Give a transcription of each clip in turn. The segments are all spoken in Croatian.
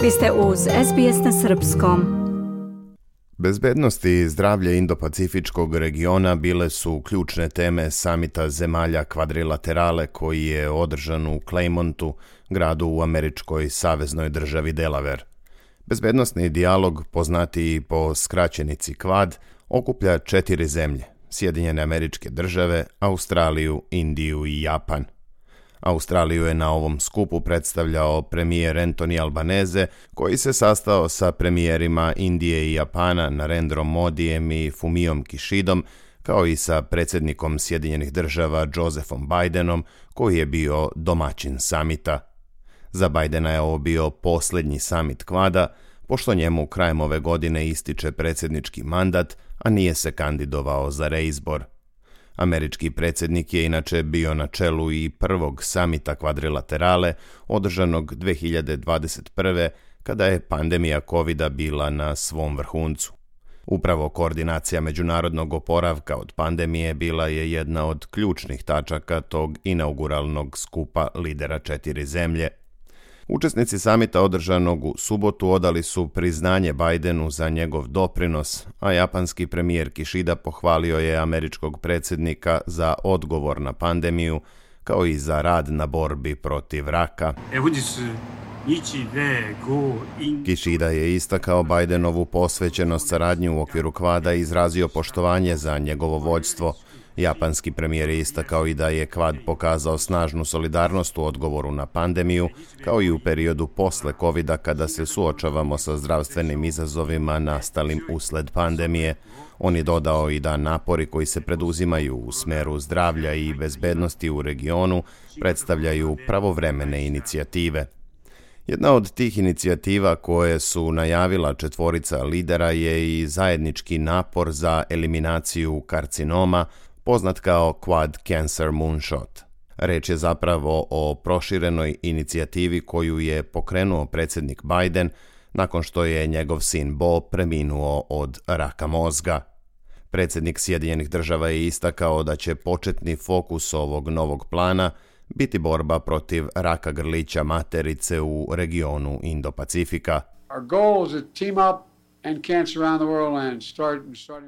Vi ste uz SBS na srpskom. Bezbednost i zdravlje Indo-Pacifičkog regiona bile su ključne teme samita zemalja kvadrilaterale koji je održan u Claymontu, gradu u američkoj saveznoj državi Delaware. Bezbednosni dijalog, poznatiji po skraćenici QUAD, okuplja 4 zemlje: Sjedinjene Američke Države, Australiju, Indiju i Japan. Australiju je na ovom skupu predstavljao premijer Anthony Albanese, koji se sastao sa premijerima Indije i Japana Narendrom Modijem i Fumiom Kishidom, kao i sa predsjednikom Sjedinjenih Država Josephom Bidenom, koji je bio domaćin samita. Za Bidena je ovo bio posljednji samit QUAD-a, pošto njemu krajem ove godine ističe predsjednički mandat, a nije se kandidovao za reizbor. Američki predsjednik je inače bio na čelu i prvog samita kvadrilaterale, održanog 2021. kada je pandemija COVID-a bila na svom vrhuncu. Upravo koordinacija međunarodnog oporavka od pandemije bila je jedna od ključnih tačaka tog inauguralnog skupa lidera 4 zemlje. Učesnici samita održanog u subotu odali su priznanje Bidenu za njegov doprinos, a japanski premijer Kishida pohvalio je američkog predsjednika za odgovor na pandemiju, kao i za rad na borbi protiv raka. Kishida je istakao Bidenovu posvećenost saradnju u okviru QUAD-a i izrazio poštovanje za njegovo vođstvo. Japanski premijer je istakao i da je QUAD pokazao snažnu solidarnost u odgovoru na pandemiju, kao i u periodu posle COVID-a kada se suočavamo sa zdravstvenim izazovima nastalim usled pandemije. On je dodao i da napori koji se preduzimaju u smeru zdravlja i bezbednosti u regionu predstavljaju pravovremene inicijative. Jedna od tih inicijativa koje su najavila 4 lidera je i zajednički napor za eliminaciju karcinoma, poznat kao Quad Cancer Moonshot. Reč je zapravo o proširenoj inicijativi koju je pokrenuo predsjednik Biden nakon što je njegov sin Bo preminuo od raka mozga. Predsjednik Sjedinjenih Država je istakao da će početni fokus ovog novog plana biti borba protiv raka grlića materice u regionu Indo-Pacifika.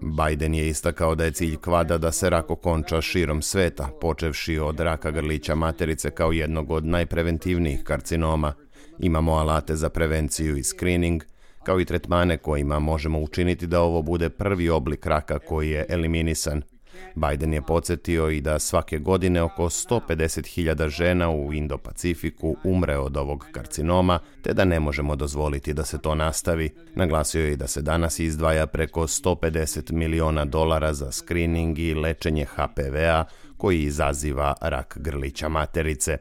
Biden je istakao da je cilj QUAD-a da se rak okonča širom sveta, počevši od raka grlića materice kao jednog od najpreventivnijih karcinoma. Imamo alate za prevenciju i screening, kao i tretmane kojima možemo učiniti da ovo bude prvi oblik raka koji je eliminisan. Biden je podsjetio i da svake godine oko 150.000 žena u Indo-Pacifiku umre od ovog karcinoma, te da ne možemo dozvoliti da se to nastavi. Naglasio je i da se danas izdvaja preko $150 miliona za screening i lečenje HPV-a koji izaziva rak grlića materice.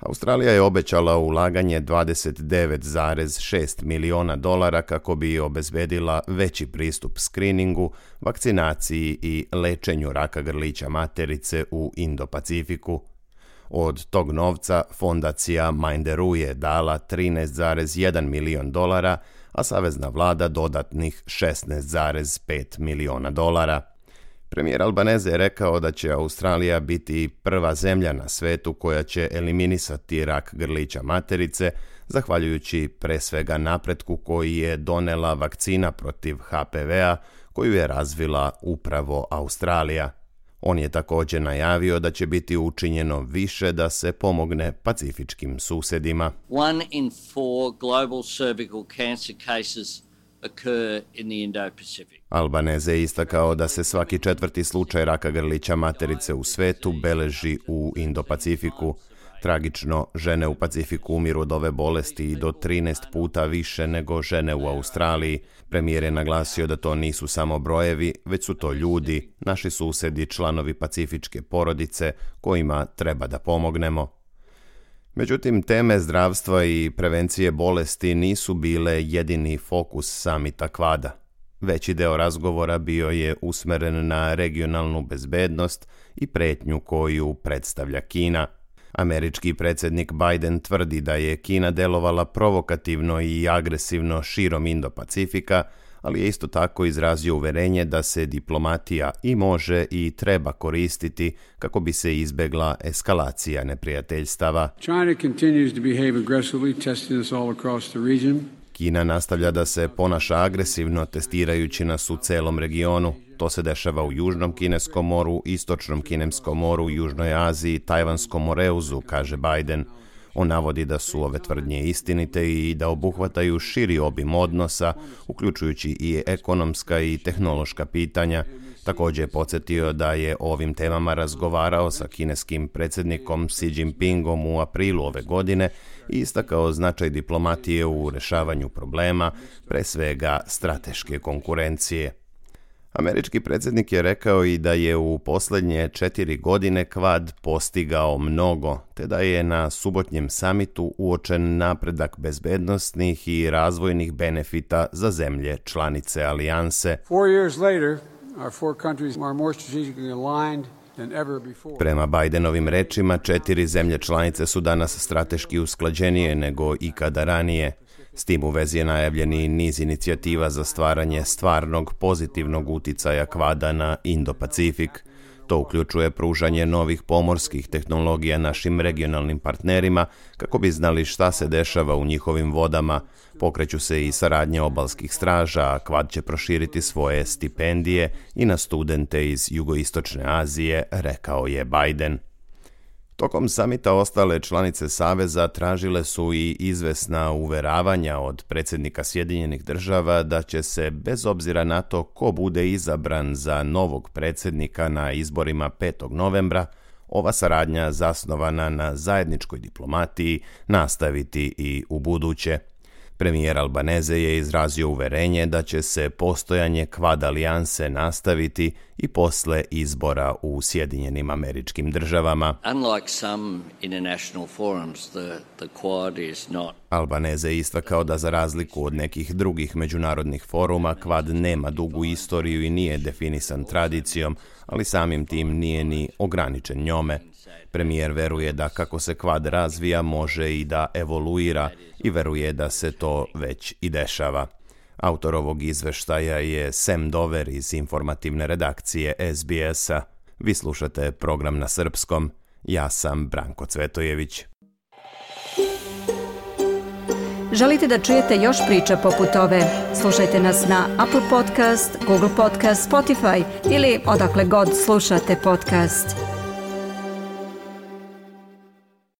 Australija je obećala ulaganje $29,6 miliona kako bi obezbedila veći pristup skriningu, vakcinaciji i lečenju raka grlića materice u Indo-Pacifiku. Od tog novca fondacija Minderoo je dala $13,1 milion, a savezna vlada dodatnih $16,5 miliona. Premijer Albanese je rekao da će Australija biti prva zemlja na svetu koja će eliminisati rak grlića materice, zahvaljujući pre svega napretku koji je donela vakcina protiv HPV-a koju je razvila upravo Australija. On je također najavio da će biti učinjeno više da se pomogne pacifičkim susjedima. 1 in 4 global cervical cancer cases occur in the Indo-Pacific. Albanese je istakao da se svaki 4. slučaj raka grlića materice u svetu beleži u Indo-Pacifiku. Tragično, žene u Pacifiku umiru od ove bolesti i do 13 puta više nego žene u Australiji. Premijer je naglasio da to nisu samo brojevi, već su to ljudi, naši susjedi, članovi pacifičke porodice, kojima treba da pomognemo. Međutim, teme zdravstva i prevencije bolesti nisu bile jedini fokus samita QUAD-a. Veći deo razgovora bio je usmeren na regionalnu bezbednost i pretnju koju predstavlja Kina. Američki predsjednik Biden tvrdi da je Kina delovala provokativno i agresivno širom Indo-Pacifika, ali je isto tako izrazio uverenje da se diplomatija i može i treba koristiti kako bi se izbegla eskalacija neprijateljstava. China continues to behave aggressively, testing us all across the region. Kina nastavlja da se ponaša agresivno, testirajući nas u celom regionu. To se dešava u Južnom Kineskom moru, Istočnom Kineskom moru, Južnoj Aziji, Tajvanskom moreuzu, kaže Biden. On navodi da su ove tvrdnje istinite i da obuhvataju širi obim odnosa, uključujući i ekonomska i tehnološka pitanja. Također je podsjetio da je o ovim temama razgovarao sa kineskim predsjednikom Xi Jinpingom u aprilu ove godine i istakao značaj diplomatije u rešavanju problema, pre svega strateške konkurencije. Američki predsjednik je rekao i da je u posljednje 4 godine Kvad postigao mnogo, te da je na subotnjem samitu uočen napredak bezbednosnih i razvojnih benefita za zemlje članice alijanse. 4 years later, our four countries are more strategically aligned than ever before. Prema Bidenovim rečima, 4 zemlje članice su danas strateški usklađenije nego ikada ranije. S tim u vezi je najavljeni niz inicijativa za stvaranje stvarnog pozitivnog uticaja Kvada na Indo-Pacifik. To uključuje pružanje novih pomorskih tehnologija našim regionalnim partnerima kako bi znali šta se dešava u njihovim vodama. Pokreću se i saradnje obalskih straža, a Kvad će proširiti svoje stipendije i na studente iz Jugoistočne Azije, rekao je Biden. Tokom samita ostale članice Saveza tražile su i izvesna uveravanja od predsjednika Sjedinjenih Država da će se, bez obzira na to ko bude izabran za novog predsjednika na izborima 5. novembra, ova saradnja zasnovana na zajedničkoj diplomatiji nastaviti i u buduće. Premijer Albaneze je izrazio uverenje da će se postojanje Kvad alijanse nastaviti i posle izbora u Sjedinjenim Američkim Državama. Unlike some international forums, the Quad is not. Albaneze je istakao da za razliku od nekih drugih međunarodnih foruma, Kvad nema dugu istoriju i nije definisan tradicijom, ali samim tim nije ni ograničen njome. Premijer veruje da kako se Kvad razvija može i da evoluira i veruje da se to već i dešava. Autor ovog izveštaja je Sam Dover iz informativne redakcije SBS-a. Vi slušate program na srpskom. Ja sam Branko Cvetojević. Želite da čujete još priča poput ove? Slušajte nas na Apple Podcast, Google Podcast, Spotify ili odakle god slušate podcast.